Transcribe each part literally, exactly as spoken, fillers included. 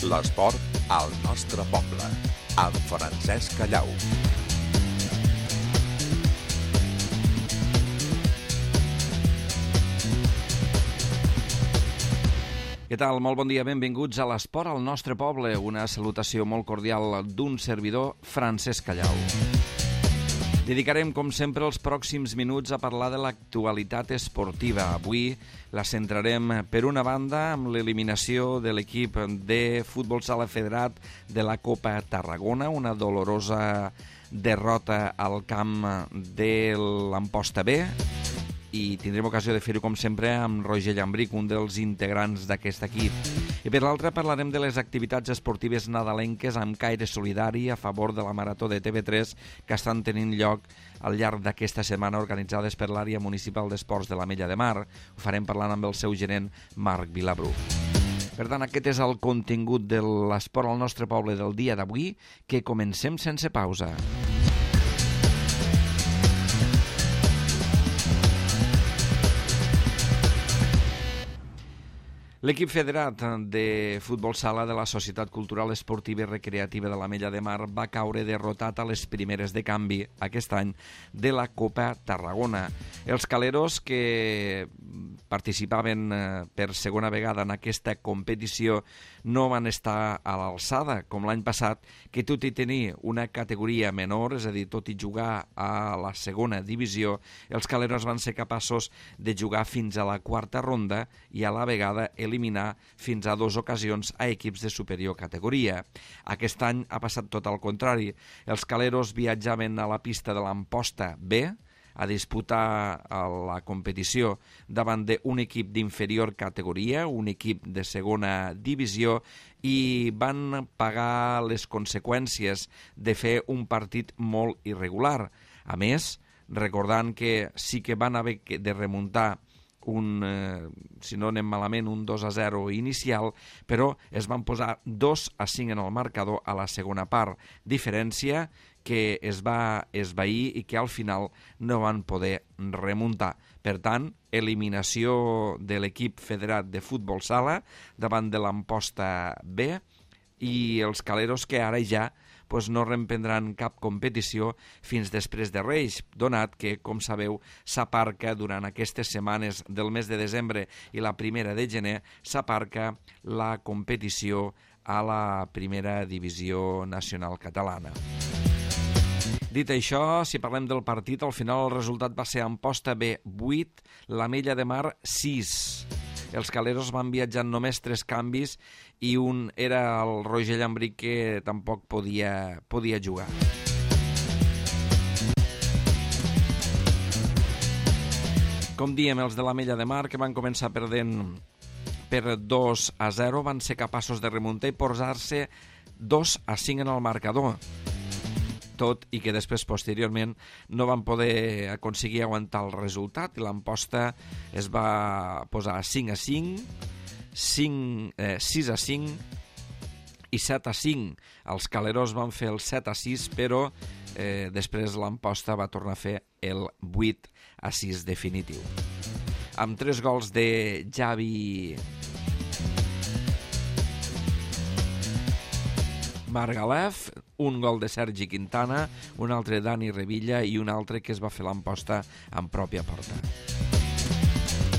L'esport al nostre poble, amb Francesc Callau. Què tal? Molt bon dia, benvinguts a l'Esport al nostre poble. Una salutació molt cordial d'un servidor, Francesc Callau. Dedicarem, com sempre, els pròxims minuts a parlar de l'actualitat esportiva. Avui la centrarem, per una banda, amb l'eliminació de l'equip de futbol sala federat de la Copa Tarragona, una dolorosa derrota al camp de l'Amposta B, i tindrem ocasió de fer-ho, com sempre, amb Roger Llambric, un dels integrants d'aquest equip. I per l'altra parlarem de les activitats esportives nadalenques amb caire solidari a favor de la Marató de T V tres que estan tenint lloc al llarg d'aquesta setmana, organitzades per l'àrea municipal d'esports de l'Ametlla de Mar. Ho farem parlant amb el seu gerent, Marc Vilabrú. Per tant, aquest és el contingut de l'esport al nostre poble del dia d'avui, que comencem sense pausa. L'equip federat de futbol sala de la Societat Cultural Esportiva i Recreativa de l'Ametlla de Mar va caure derrotat a les primeres de canvi aquest any de la Copa Tarragona. Els caleros, que participaven per segona vegada en aquesta competició, no van estar a l'alçada, com l'any passat, que tot i tenir una categoria menor, és a dir, tot i jugar a la segona divisió, els caleros van ser capaços de jugar fins a la quarta ronda i a la vegada eliminar fins a dues ocasions a equips de superior categoria. Aquest any ha passat tot al contrari. Els caleros viatjaven a la pista de l'Amposta B a disputar la competició davant d'un equip d'inferior categoria, un equip de segona divisió, i van pagar les conseqüències de fer un partit molt irregular. A més, recordant que sí que van haver de remuntar un, eh, si no anem malament, un dos a zero inicial, però es van posar dos a cinc en el marcador a la segona part, diferència que es va esvair i que al final no van poder remuntar. Per tant, eliminació de l'equip federat de futbol sala davant de l'Amposta B, i els caleros que ara ja pues, no reprendran cap competició fins després de Reis, donat que, com sabeu, s'aparca durant aquestes setmanes del mes de desembre i la primera de gener, s'aparca la competició a la primera divisió nacional catalana. Dit això, si parlem del partit, al final el resultat va ser Amposta B vuit, l'Ametlla de Mar sis. Els caleros van viatjar només tres canvis i un era el Roger Llambric, que tampoc podia, podia jugar. Com diem, els de l'Ametlla de Mar, que van començar perdent per dos a zero, van ser capaços de remuntar i posar-se dos a cinc en el marcador. Tot i que després, posteriorment, no van poder aconseguir aguantar el resultat i l'Amposta es va posar cinc a cinc, cinc, eh, sis a cinc i set a cinc. Els caleros van fer el set a sis, però eh, després l'Amposta va tornar a fer el vuit a sis definitiu. Amb tres gols de Javi Margalef, un gol de Sergi Quintana, un altre Dani Revilla i un altre que es va fer l'Amposta en pròpia porta.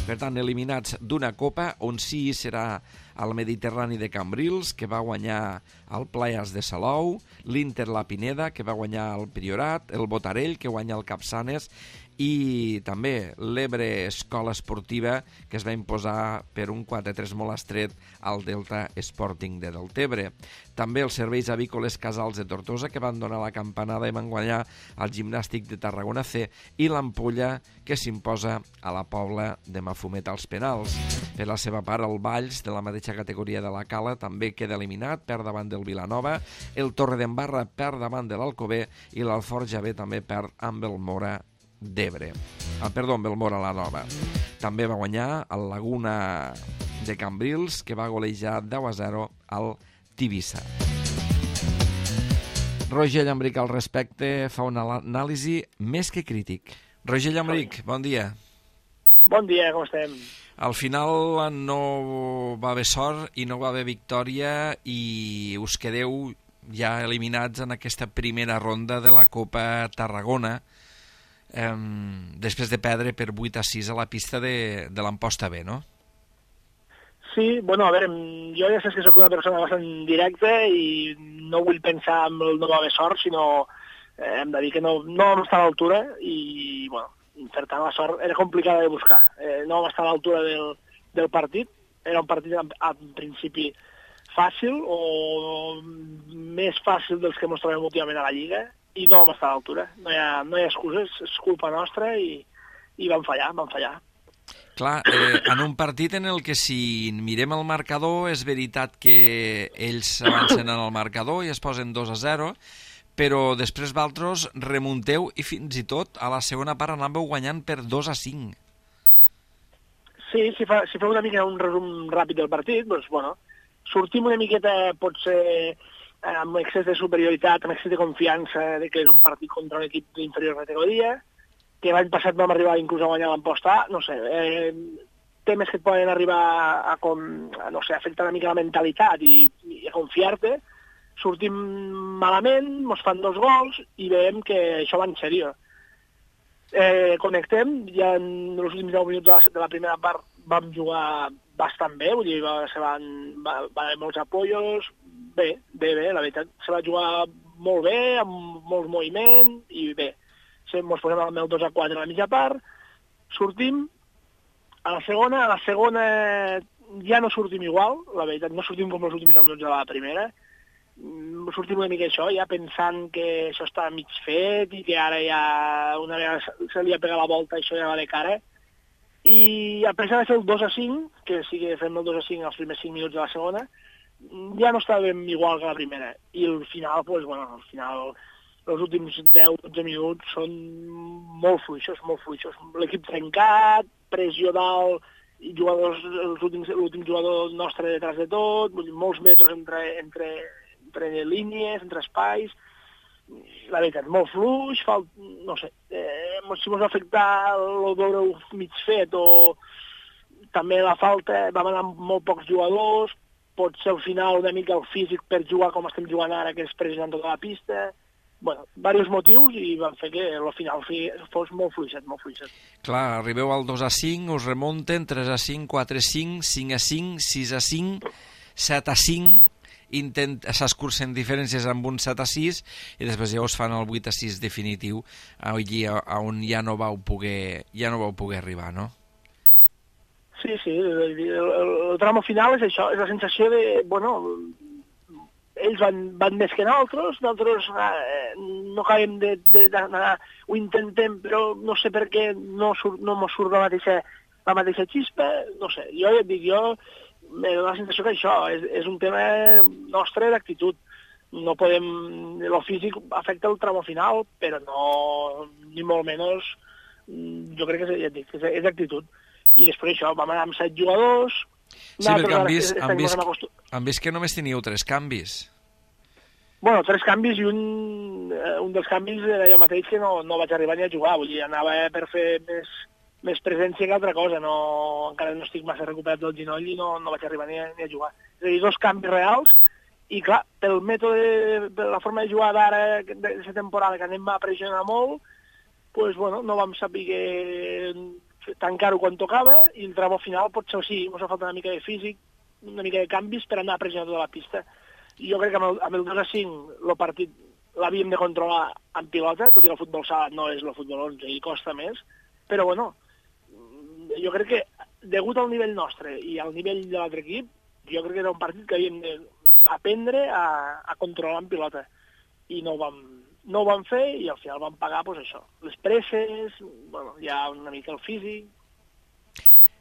Per tant, eliminats d'una copa, on sí serà el Mediterrani de Cambrils, que va guanyar el Playas de Salou, l'Inter La Pineda, que va guanyar el Priorat, el Botarell, que guanya el Capçanes, i també l'Ebre Escola Esportiva, que es va imposar per un quatre a tres molt estret al Delta Sporting de Deltebre. També els serveis avícoles Casals de Tortosa, que van donar la campanada i van guanyar el Gimnàstic de Tarragona C, i l'Ampolla, que s'imposa a la Pobla de Mafumet als penals. Per la seva part, el Valls, de la mateixa categoria de la Cala, també queda eliminat, perd davant del Vilanova, el Torredembarra perd davant de l'Alcover i l'Alforja B també perd amb el Mora d'Ebre. Ah, perdó, amb el Mora la Nova. També va guanyar el Laguna de Cambrils, que va golejar deu a zero al Tivissa. Roger Llambric al respecte fa una anàlisi més que crític. Roger Llambric, bon dia. Bon dia, com estem? Al final no va haver sort i no va haver victòria i us quedeu ja eliminats en aquesta primera ronda de la Copa Tarragona, eh, després de perdre per vuit a sis a la pista de, de l'Amposta B, no? Sí, bueno, a veure, jo ja saps que sóc una persona bastant directa i no vull pensar en el no va haver sort, sinó eh, hem de dir que no, no vam estar a l'altura i, bueno, per tant la sort era complicada de buscar. Eh, no vam estar a l'altura del, del partit, era un partit en, en principi fàcil o més fàcil dels que ens trobem últimament a la Lliga i no vam estar a l'altura. No hi ha, no hi ha excuses, és culpa nostra i, i vam fallar, vam fallar. Clar, eh, en un partit en el que si mirem el marcador és veritat que ells s'avancen en el marcador i es posen dos a zero, però després vosaltres remunteu i fins i tot a la segona part anàveu guanyant per dos a cinc. Sí, si fa, si fa una mica un resum ràpid del partit, doncs, bueno, sortim una miqueta, potser amb excés de superioritat, amb excés de confiança de que és un partit contra un equip d'inferior categoria, que l'any passat vam arribar inclús a guanyar l'Amposta A, no sé, eh, temes que et poden arribar a, com, a no sé, afectar una mica la mentalitat i, i a confiar-te, sortim malament, ens fan dos gols i veiem que això va en sèrio. Eh, connectem, ja en els últims deu minuts de la, de la primera part vam jugar bastant bé, vull dir, va, se van, va, va haver molts apoyos, bé, bé, bé, la veritat, se va jugar molt bé, amb molts moviments i bé. Ens posem al dos a quatre a la mitja part, sortim a la segona, a la segona ja no sortim igual, la veritat, no sortim com els últims minuts de la primera, sortim una mica això, ja pensant que això està mig fet i que ara ja una vegada se li ha pegat la volta això ja va de cara, i a pesar de fer el dos a cinc, que sí que fem el dos a cinc als primers cinc minuts de la segona, ja no estàvem igual que la primera, i al final, doncs, bueno, al final els últims deu a dotze minuts són molt fluixos, molt fluixos. L'equip trencat, pressió dalt, i jugadors, l'últim jugador nostre detrás de tot, vull dir, molts metres entre, entre, entre línies, entre espais. La veritat, molt fluix, falt, no sé, eh, si mos va afectar el veure mig fet o també la falta, vam anar amb molt pocs jugadors, pot ser al final una mica el físic per jugar com estem jugant ara, que és pressionant tota la pista. Bueno, diversos motius i van fer que al final fos molt fluixet, molt fluixet. Clar, arribeu al dos a cinc, us remunten, tres a cinc, quatre a cinc, cinc a cinc, sis a cinc, set a cinc, s'escurcen diferències amb un set a sis i després ja us fan el vuit a sis definitiu, allí on ja no vau poder, ja no vau poder arribar, no? Sí, sí, el, el, el tramo final és això, és la sensació de, bueno, ells van, van més que nosaltres, nosaltres eh, no acabem d'anar, ho intentem, però no sé per què no, surt, no mos surt la mateixa, la mateixa xispa, no sé, jo ja et dic, jo me dono la sensació que això és, és un tema nostre d'actitud, no podem, el físic afecta el tramo final, però no, ni molt menys, jo crec que és, ja et dic, és, és d'actitud, i després això, vam anar amb set jugadors. Sí, perquè han vist, han, vist, han vist que només teníeu tres canvis. Bueno, tres canvis i un, un dels canvis era jo mateix que no, no vaig arribar ni a jugar, vull dir, anava per fer més, més presència que altra cosa, no, encara no estic massa recuperat del genoll i no, no vaig arribar ni a, ni a jugar. És a dir, dos canvis reals i clar, pel mètode, per la forma de jugar d'ara, d'aquesta temporada que anem a pressionar molt, pues, bueno, no vam saber que tancar-ho quan tocava i el tramo final potser sí, ens ha faltat una mica de físic, una mica de canvis per anar a pressionar tota la pista. I jo crec que amb el, amb el dos a cinc el partit l'havíem de controlar en pilota, tot i que el futbol sala no és el futbol onze i costa més, però bueno, jo crec que degut al nivell nostre i al nivell de l'altre equip, jo crec que era un partit que havíem d'aprendre a, a controlar en pilota i no ho vam, no ho vam fer i al final vam pagar pues, això, les presses, bueno, ja una mica el físic.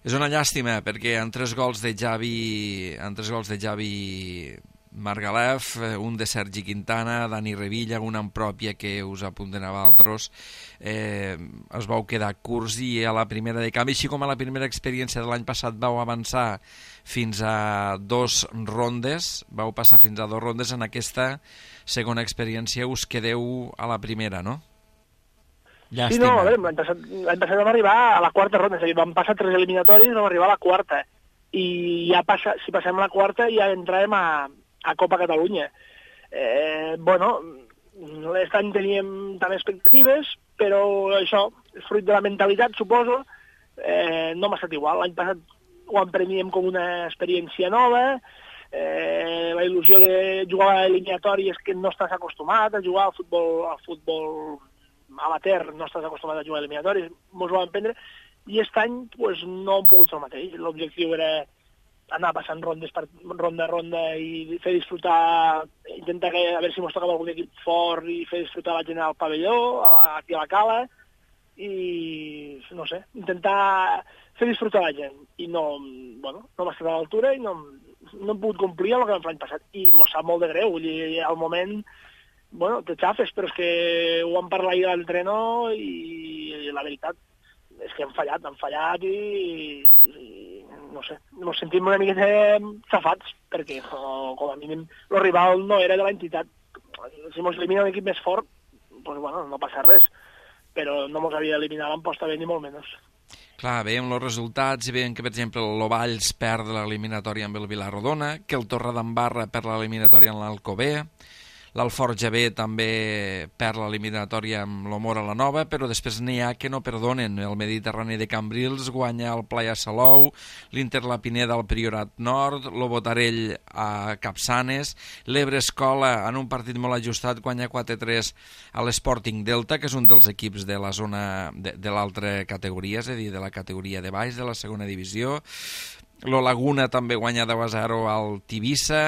És una llàstima perquè en tres gols de Javi, en tres gols de Javi Margalef, un de Sergi Quintana, Dani Revilla, una en pròpia que us apunten a vosaltres, eh, es vau quedar curts i a la primera de canvi, així com a la primera experiència de l'any passat vau avançar fins a dos rondes, vau passar fins a dos rondes, en aquesta segona experiència us quedeu a la primera, no? Llàstima. Sí, no, a veure, l'any passat, l'any passat vam arribar a la quarta ronda, és a dir, vam passar tres eliminatoris, vam arribar a la quarta, i ja passa, si passem a la quarta ja entrarem a, a Copa Catalunya. Eh, bueno, aquest any teníem també expectatives, però això, fruit de la mentalitat, suposo, eh, no m'ha estat igual. L'any passat ho empreníem com una experiència nova, eh, la il·lusió de jugar a eliminatòries que no estàs acostumat a jugar al futbol, al futbol amateur, no estàs acostumat a jugar a eliminatòries, mos ho vam prendre, i aquest any pues, no hem pogut fer el mateix. L'objectiu era anar passant rondes per ronda a ronda i fer disfrutar, intentar que, a veure si mos tocava algun equip fort i fer disfrutar la gent al pavelló, a la, aquí a la cala, i no sé, intentar fer disfrutar la gent. I no, bueno, no m'ha estat a l'altura i no, no hem pogut complir el que vam fer l'any passat. I mos sap molt de greu, vull dir, al moment, bueno, te xafes, però és que ho vam parlar ahir a l'entrenador i la veritat és que hem fallat, hem fallat i, i no sé, ens sentim una miqueta xafats, perquè o, com a mínim el rival no era de l'entitat. Si ens elimina un equip més fort, doncs bueno, no passa res, però no ens havia d'eliminar l'emposta bé ni molt menys. Clar, veiem els resultats i veiem que, per exemple, l'Ovalls perd l'eliminatòria amb el Vilarrodona, que el Torredembarra perd l'eliminatòria amb l'Alcobé, l'Alforja B també perd l'eliminatòria amb l'Omora la Nova, però després n'hi ha que no perdonen. El Mediterrani de Cambrils guanya el Playa Salou, l'Inter La Pineda al Priorat Nord, l'Obotarell a Capçanes, l'Ebre Escola en un partit molt ajustat guanya quatre a tres a l'Sporting Delta, que és un dels equips de la zona de, de l'altra categoria, és a dir, de la categoria de baix, de la segona divisió. Lo Laguna també guanya deu a zero al Tivissa.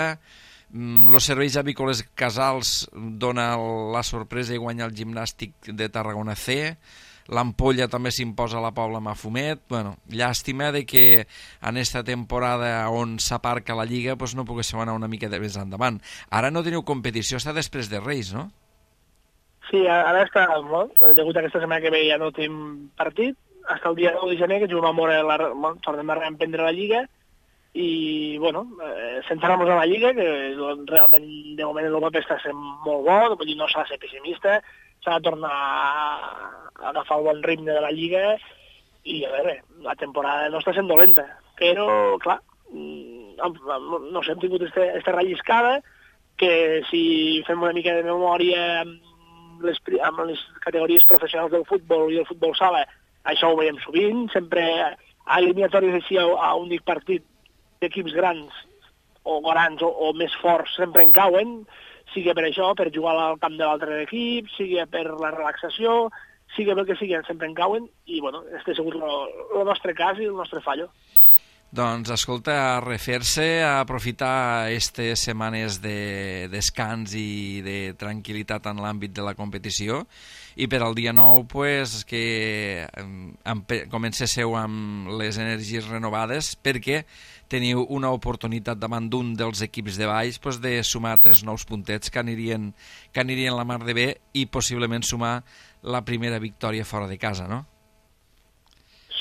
Els serveis avícoles Casals dona la sorpresa i guanya el Gimnàstic de Tarragona C. L'Ampolla també s'imposa a la Pobla Mafumet. Bueno, llàstima de que en esta temporada on s'aparca la Lliga pues no poguéssim anar una mica de més endavant. Ara no teniu competició, està després de Reis, no? Sí, ara està, bueno, degut a aquesta setmana que ve ja no tenim partit, fins el dia nou de gener que juguem a Mora, la, bueno, tornem a reemprendre la Lliga, i, bueno, eh, centrar-nos en la Lliga, que realment de moment el paper està sent molt bo, vull dir, no s'ha de ser pessimista, s'ha de tornar a agafar el bon ritme de la Lliga, i a veure, la temporada no està sent dolenta, però, clar, no sé, hem tingut aquesta relliscada, que si fem una mica de memòria amb les, amb les categories professionals del futbol i el futbol sala, això ho veiem sovint, sempre a eliminatòries així a, a un únic partit d'equips grans o grans o, o més forts sempre en cauen, sigui per això, per jugar al camp de l'altre equip, sigui per la relaxació, sigui pel que sigui, sempre en cauen, i bueno, este ha sigut el nostre cas i el nostre fallo. Doncs, escolta, a refer-se, a aprofitar aquestes setmanes de descans i de tranquil·litat en l'àmbit de la competició, i per al dia nou pues, que comencéssiu amb les energies renovades, perquè teniu una oportunitat davant d'un dels equips de baix pues, de sumar tres nous puntets que anirien, que anirien la mar de bé i possiblement sumar la primera victòria fora de casa, no?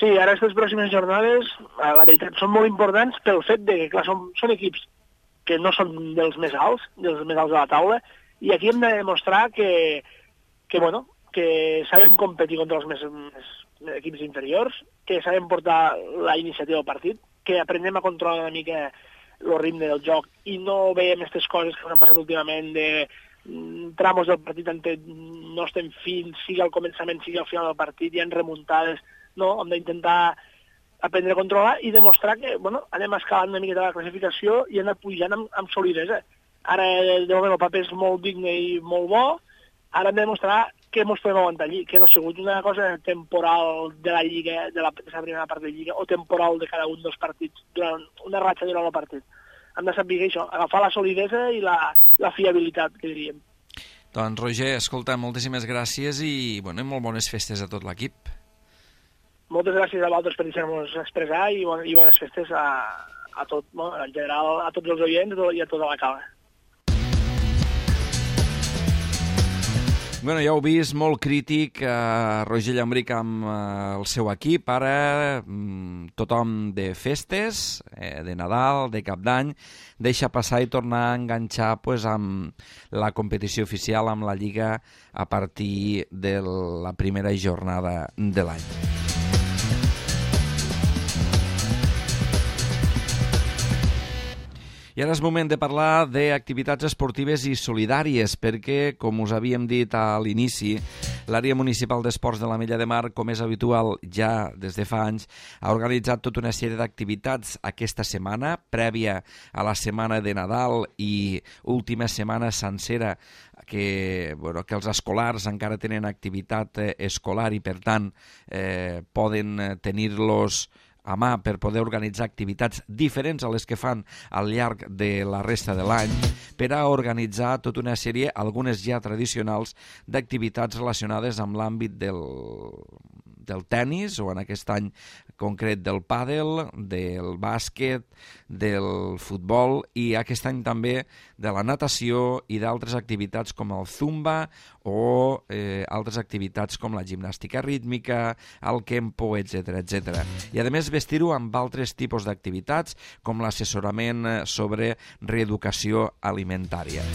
Sí, ara aquestes pròximes jornades, la veritat, són molt importants pel fet de que, clar, són, són equips que no són dels més alts, dels més alts de la taula, i aquí hem de demostrar que, que bueno, que sabem competir contra els més, més equips inferiors, que sabem portar la iniciativa del partit, que aprenem a controlar una mica el ritme del joc i no veiem aquestes coses que han passat últimament de tramos del partit on no estem fins, sigui al començament, sigui al final del partit, hi ha remuntades. No, hem d'intentar aprendre a controlar i demostrar que, bueno, anem escalant una miqueta la classificació i anar pujant amb, amb solidesa. Ara, de moment, el paper és molt digne i molt bo, ara hem de demostrar que ens podem aguantar allí, que no ha sigut una cosa temporal de la Lliga, de la, de la primera part de la Lliga, o temporal de cada un dels partits, durant una ratxa durant el partit. Hem de saber això, agafar la solidesa i la, la fiabilitat, que diríem. Doncs, Roger, escolta, moltíssimes gràcies i, bueno, molt bones festes a tot l'equip. Moltes gràcies a vosaltres per deixar-nos expressar i, bon, i bones festes a, a tot, no? En general, a tots els oients i a tota la cala. Bueno, ja heu vist, molt crític eh, Roger Llambric amb eh, el seu equip. Ara mm, tothom de festes, eh, de Nadal, de Cap d'Any, deixa passar i tornar a enganxar pues, amb la competició oficial, amb la Lliga, a partir de la primera jornada de l'any. I ara és moment de parlar d'activitats esportives i solidàries, perquè, com us havíem dit a l'inici, l'àrea municipal d'esports de l'Ametlla de Mar, com és habitual ja des de fa anys, ha organitzat tota una sèrie d'activitats aquesta setmana, prèvia a la setmana de Nadal i última setmana sencera, que, bueno, que els escolars encara tenen activitat eh, escolar i, per tant, eh, poden tenir-los a mà per poder organitzar activitats diferents a les que fan al llarg de la resta de l'any, per a organitzar tota una sèrie, algunes ja tradicionals, d'activitats relacionades amb l'àmbit del, del tennis, o en aquest any concret del pàdel, del bàsquet, del futbol, i aquest any també de la natació i d'altres activitats com el zumba o eh, altres activitats com la gimnàstica rítmica, el kempo, etcètera, etcètera. I a més vestir-ho amb altres tipus d'activitats com l'assessorament sobre reeducació alimentària.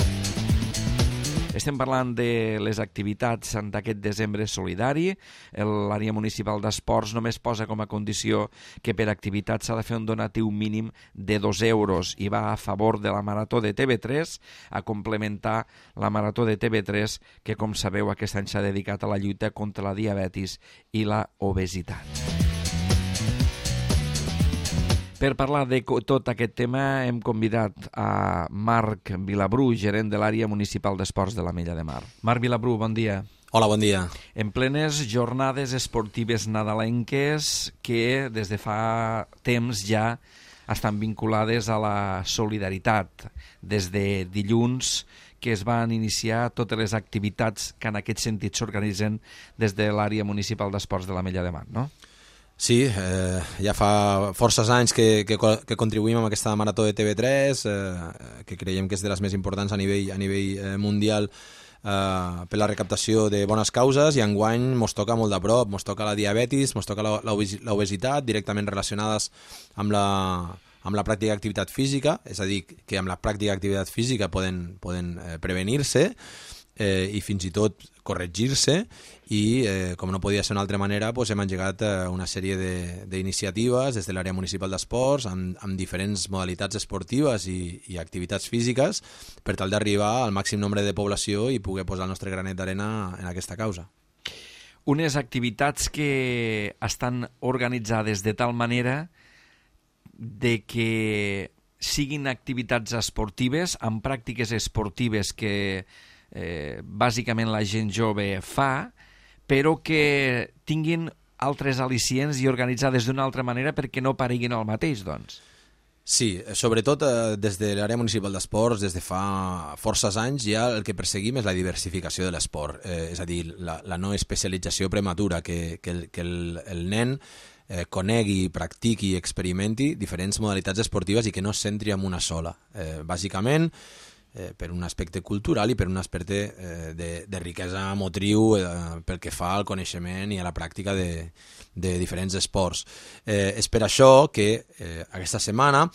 Estem parlant de les activitats d'aquest desembre solidari. L'àrea municipal d'esports només posa com a condició que per activitat s'ha de fer un donatiu mínim de dos euros i va a favor de la Marató de T V tres, a complementar la Marató de T V tres, que, com sabeu, aquest any s'ha dedicat a la lluita contra la diabetis i la obesitat. Per parlar de tot aquest tema hem convidat a Marc Vilabru, gerent de l'àrea municipal d'esports de l'Ametlla de Mar. Marc Vilabru, bon dia. Hola, bon dia. En plenes jornades esportives nadalenques que des de fa temps ja estan vinculades a la solidaritat. Des de dilluns que es van iniciar totes les activitats que en aquest sentit s'organitzen des de l'àrea municipal d'esports de l'Ametlla de Mar, no? Sí, eh, ja fa forces anys que, que, que contribuïm amb aquesta marató de T V tres, eh, que creiem que és de les més importants a nivell, a nivell eh, mundial eh, per la recaptació de bones causes, i enguany mos toca molt de prop, mos toca la diabetis, mos toca l'obesitat, directament relacionades amb la, amb la pràctica d'activitat física, és a dir, que amb la pràctica d'activitat física poden, poden eh, prevenir-se eh, i fins i tot corregir-se, i eh, com no podia ser d'una altra manera, doncs hem engegat eh, una sèrie d'iniciatives des de l'àrea municipal d'esports amb, amb diferents modalitats esportives i, i activitats físiques per tal d'arribar al màxim nombre de població i poder posar el nostre granet d'arena en aquesta causa. Unes activitats que estan organitzades de tal manera de que siguin activitats esportives, amb pràctiques esportives que eh, bàsicament la gent jove fa, però que tinguin altres al·licients i organitzades d'una altra manera perquè no pareguin el mateix, doncs. Sí, sobretot eh, des de l'àrea municipal d'esports, des de fa forces anys, ja el que perseguim és la diversificació de l'esport, eh, és a dir, la, la no especialització prematura, que, que, el, que el, el nen eh, conegui, practiqui i experimenti diferents modalitats esportives i que no es centri en una sola. Eh, bàsicament, Eh, per un aspecte cultural i per un aspecte eh, de, de riquesa motriu eh, pel que fa al coneixement i a la pràctica de, de diferents esports. Eh, és per això que eh, aquesta setmana,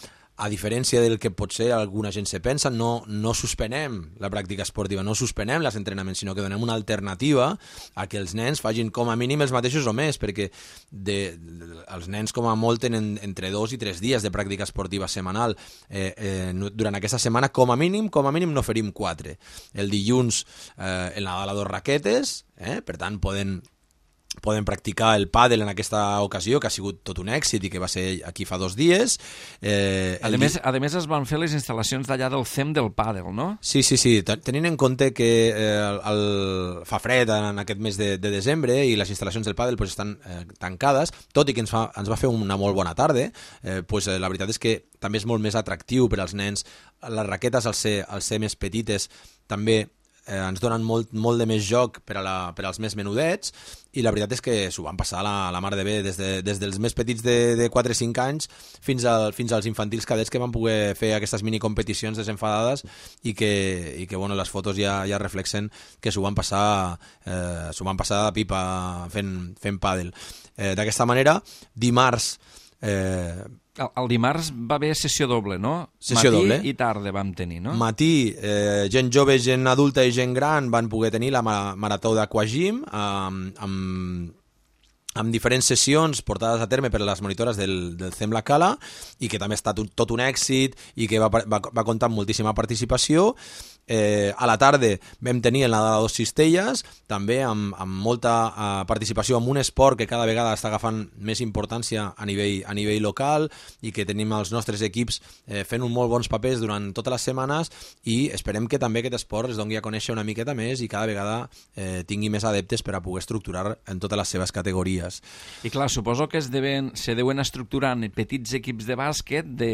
a diferència del que potser alguna gent se pensa, no, no suspenem la pràctica esportiva, no suspenem els entrenaments, sinó que donem una alternativa a que els nens facin com a mínim els mateixos o més, perquè de, de, els nens com a molt tenen entre dos i tres dies de pràctica esportiva setmanal. Eh, eh, durant aquesta setmana, com a mínim, com a mínim n'oferim quatre. El dilluns, eh, el Nadal a dos raquetes, eh, per tant, poden... poden practicar el pàdel en aquesta ocasió, que ha sigut tot un èxit i que va ser aquí fa dos dies. Eh, a, més, a més es van fer les instal·lacions d'allà del C E M del pàdel, no? Sí, sí, sí. Tenint en compte que eh, el, el, fa fred en aquest mes de, de desembre i les instal·lacions del pàdel pues, estan eh, tancades, tot i que ens, fa, ens va fer una molt bona tarda, eh, pues, eh, la veritat és que també és molt més atractiu per als nens. Les raquetes, al ser, al ser més petites, també eh, ens donen molt, molt de més joc per, a la, per als més menudets, i la veritat és que s'ho van passar a la, la mar de bé, des, de, des dels més petits de, de quatre o cinc anys fins, al, fins als infantils cadets, que van poder fer aquestes minicompeticions desenfadades i que, i que bueno, les fotos ja, ja reflexen que s'ho van passar eh, s'ho van passar de pipa fent, fent pàdel. Eh, D'aquesta manera, dimarts eh, El, el dimarts va haver sessió doble, no? Sessió Matí doble. i tarda vam tenir, no? Matí, eh, gent jove, gent adulta i gent gran van poder tenir la ma marató d'Aquagym amb, amb, amb diferents sessions portades a terme per les monitores del, del C E M La Cala, i que també ha estat un, tot un èxit i que va, va, va comptar amb moltíssima participació. Eh, a la tarda vam tenir el Nadal a dos cistelles, també amb, amb molta eh, participació en un esport que cada vegada està agafant més importància a nivell, a nivell local, i que tenim els nostres equips eh, fent un molt bons papers durant totes les setmanes, i esperem que també aquest esport es doni a conèixer una miqueta més i cada vegada eh, tingui més adeptes per a poder estructurar en totes les seves categories. I clar, suposo que es deuen, se deuen estructurar en petits equips de bàsquet de...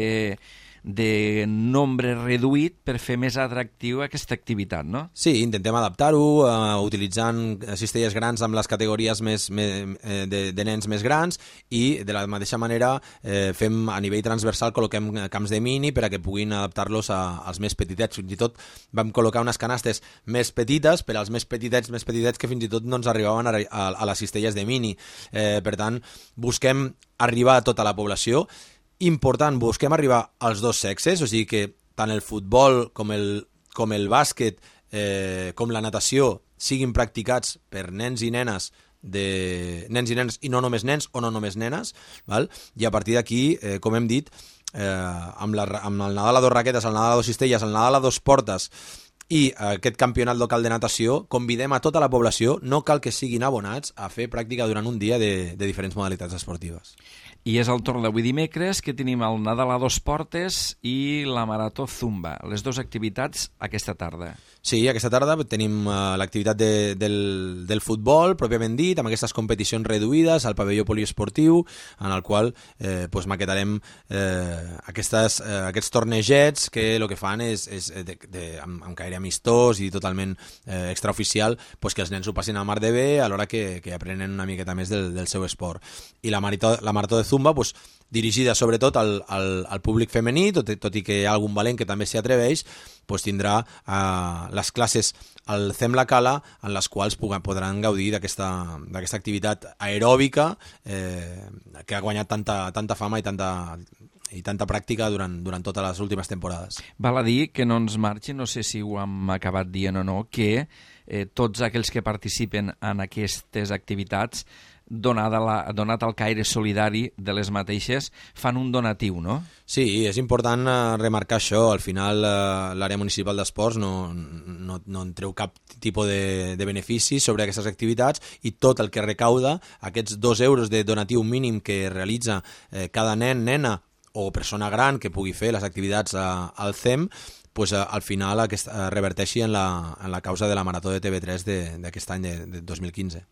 de nombre reduït per fer més atractiu aquesta activitat, no? Sí, intentem adaptar-ho, uh, utilitzant cistelles grans amb les categories més, més, de, de nens més grans, i de la mateixa manera eh, fem a nivell transversal, col·loquem camps de mini per a que puguin adaptar-los a, als més petitets. Fins i tot vam col·locar unes canastes més petites per als més petitets, més petitets que fins i tot no ens arribaven a, a, a les cistelles de mini. Eh, per tant, busquem arribar a tota la població. Important, busquem arribar als dos sexes, o sigui que tant el futbol com el, com el bàsquet eh, com la natació siguin practicats per nens i nenes de nens i nenes i no només nens o no només nenes, val? I a partir d'aquí, eh, com hem dit, eh, amb, la, amb el Nadal a dos raquetes, el Nadal a dos cistelles, el Nadal a dos portes i aquest campionat local de natació, convidem a tota la població, no cal que siguin abonats, a fer pràctica durant un dia de, de diferents modalitats esportives. I és el torn d'avui dimecres, que tenim el Nadal a dos portes i la Marató Zumba, les dues activitats aquesta tarda. Sí, aquesta tarda tenim uh, l'activitat de, del, del futbol, pròpiament dit, amb aquestes competicions reduïdes al pavelló poliesportiu, en el qual eh, pues, maquetarem eh, aquestes, eh, aquests tornejets que el que fan és, és de, de, amb, amb caire amistós i totalment eh, extraoficial, pues, que els nens ho passin a mar de bé, alhora que, que aprenen una miqueta més del, del seu esport. I la marató, la marató de Zumba, pues, dirigida sobretot al, al, al públic femení, tot, tot i que hi ha algun valent que també s'hi atreveix, pues tindrà eh, les classes al C E M La Cala, en les quals podran gaudir d'aquesta activitat aeròbica eh, que ha guanyat tanta, tanta fama i tanta, i tanta pràctica durant, durant totes les últimes temporades. Val a dir que no ens marxi, no sé si ho hem acabat dient o no, que eh, tots aquells que participen en aquestes activitats, donada la, donat el caire solidari de les mateixes, fan un donatiu, no? Sí, és important eh, remarcar això. Al final eh, l'àrea municipal d'esports no, no, no en treu cap tipus de, de benefici sobre aquestes activitats, i tot el que recauda, aquests dos euros de donatiu mínim que realitza eh, cada nen, nena o persona gran que pugui fer les activitats a, al C E M, pues, a, al final aquest, a, reverteixi en la, en la causa de la Marató de T V tres d'aquest any de, de dos mil quinze.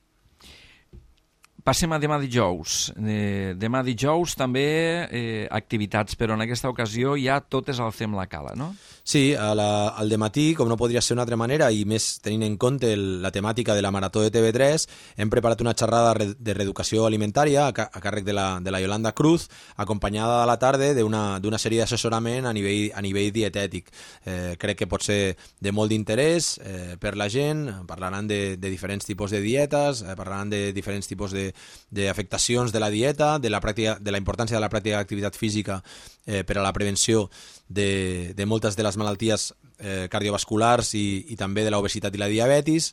Passem a demà dijous. Eh, demà dijous també eh, activitats, però en aquesta ocasió ja totes al C E M La Cala, no? Sí, a la, al dematí, com no podria ser d'una altra manera, i més tenint en compte el, la temàtica de la Marató de T V tres, hem preparat una xerrada de reeducació alimentària a, a càrrec de la, de la Yolanda Cruz, acompanyada a la tarda d'una sèrie d'assessorament a nivell, a nivell dietètic. Eh, crec que pot ser de molt d'interès eh, per la gent. Parlaran de, de diferents tipus de dietes, eh, parlaran de diferents tipus de d'afectacions de la dieta, de la, pràctica, de la importància de la pràctica d'activitat física eh, per a la prevenció de, de moltes de les malalties eh, cardiovasculars i, i també de l'obesitat i la diabetis.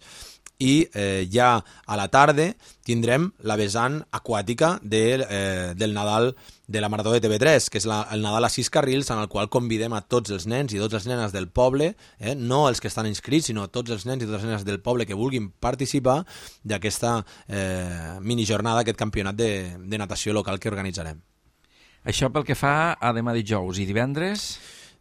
I eh, ja a la tarda tindrem la vessant aquàtica de, eh, del Nadal de la Marató de T V tres, que és la, el Nadal a sis carrils, en el qual convidem a tots els nens i totes les nenes del poble, eh, no els que estan inscrits, sinó tots els nens i totes les nenes del poble que vulguin participar d'aquesta eh, minijornada, aquest campionat de, de natació local que organitzarem. Això pel que fa a demà dijous. I divendres?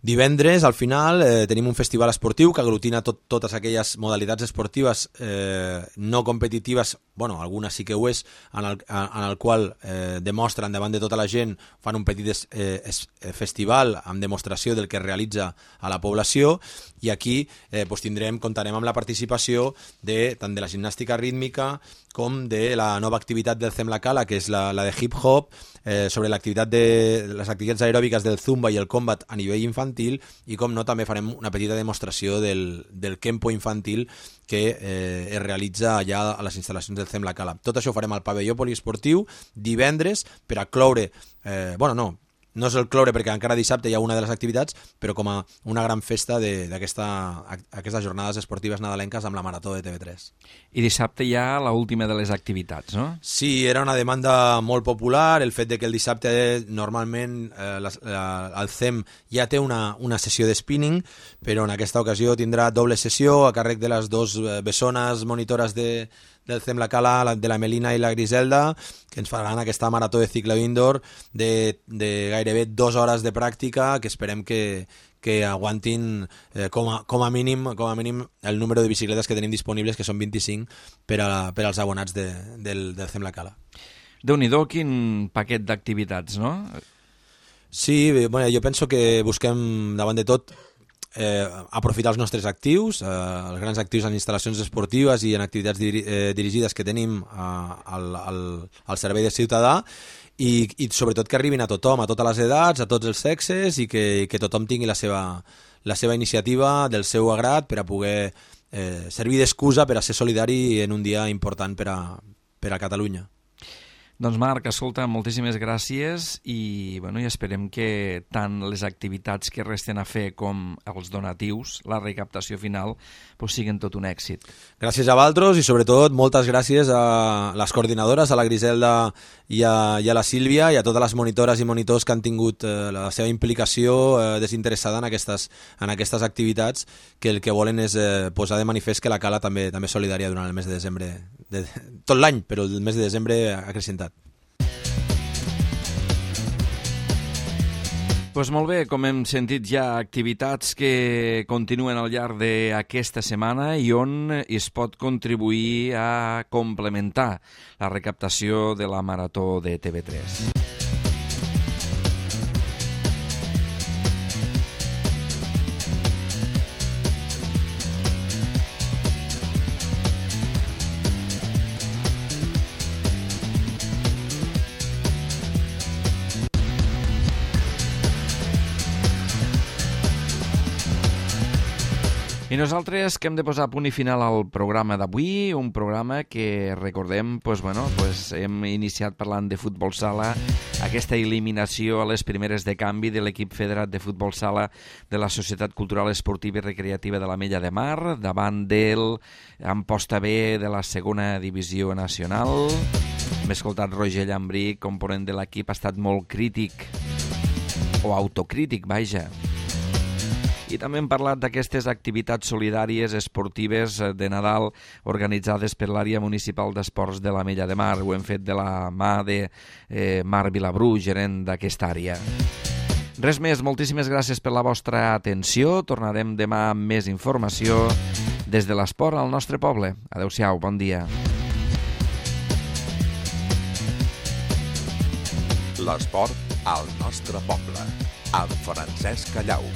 Divendres, al final, eh, tenim un festival esportiu que aglutina tot, totes aquelles modalitats esportives eh, no competitives, bueno, algunes sí que ho és, en el, en el qual eh, demostren davant de tota la gent, fan un petit es, eh, es, festival amb demostració del que es realitza a la població, i aquí eh, pues tindrem, comptarem amb la participació de, tant de la gimnàstica rítmica com de la nova activitat del Zemla Cala, que és la, la de hip-hop, eh, sobre l'activitat de les activitats aeròbiques del Zumba i el Combat a nivell infantil, i com no, també farem una petita demostració del, del Kempo infantil que eh, es realitza allà a les instal·lacions del Zemla Cala. Tot això ho farem al pavelló poliesportiu divendres per a cloure, eh, bueno, no, no és el cloure perquè encara dissabte hi ha una de les activitats, però com a una gran festa d'aquestes jornades esportives nadalenques amb la Marató de T V tres. I dissabte hi ha l'última de les activitats, no? Sí, era una demanda molt popular, el fet de que el dissabte normalment eh, la, la, el C E M ja té una, una sessió de spinning, però en aquesta ocasió tindrà doble sessió a càrrec de les dues bessones monitores de del Zemla Cala, de la Melina i la Griselda, que ens faran aquesta marató de ciclo indoor de, de gairebé dues hores de pràctica, que esperem que, que aguantin eh, com, a, com, a mínim, com a mínim el número de bicicletes que tenim disponibles, que són vint-i-cinc per, a, per als abonats de, del, del Zemla Cala. Déu-n'hi-do, quin paquet d'activitats, no? Sí, bueno, jo penso que busquem, davant de tot, Eh, aprofitar els nostres actius, eh, els grans actius en instal·lacions esportives i en activitats diri eh, dirigides que tenim eh, al, al, al servei de ciutadà, i, i sobretot que arribin a tothom, a totes les edats, a tots els sexes, i que, que tothom tingui la seva, la seva iniciativa del seu agrat per a poder eh, servir d'excusa per a ser solidari en un dia important per a, per a Catalunya. Doncs Marc, escolta, moltíssimes gràcies i, bueno, i esperem que tant les activitats que resten a fer com els donatius, la recaptació final, pues, siguin tot un èxit. Gràcies a vosaltres i sobretot moltes gràcies a les coordinadores, a la Griselda i a, i a la Sílvia, i a totes les monitores i monitors que han tingut eh, la seva implicació eh, desinteressada en aquestes, en aquestes activitats, que el que volen és eh, posar de manifest que la Cala també també és solidària durant el mes de desembre, de, tot l'any, però el mes de desembre ha acrescentat. Pues molt bé, com hem sentit ja, activitats que continuen al llarg d'aquesta setmana i on es pot contribuir a complementar la recaptació de la Marató de T V tres. I nosaltres que hem de posar punt i final al programa d'avui, un programa que recordem, pues, bueno, pues, hem iniciat parlant de futbol sala, aquesta eliminació a les primeres de canvi de l'equip federat de futbol sala de la Societat Cultural Esportiva i Recreativa de l'Ametlla de Mar, davant del Amposta B de la segona divisió nacional. Hem escoltat Roger Llambrí, component de l'equip, ha estat molt crític, o autocrític, vaja. I també hem parlat d'aquestes activitats solidàries esportives de Nadal organitzades per l'àrea municipal d'esports de l'Ametlla de Mar. Ho hem fet de la mà de eh, Mar Vilabrú, gerent d'aquesta àrea. Res més, moltíssimes gràcies per la vostra atenció. Tornarem demà amb més informació des de l'esport al nostre poble. Adéu-siau, bon dia. L'esport al nostre poble, amb Francesc Callau.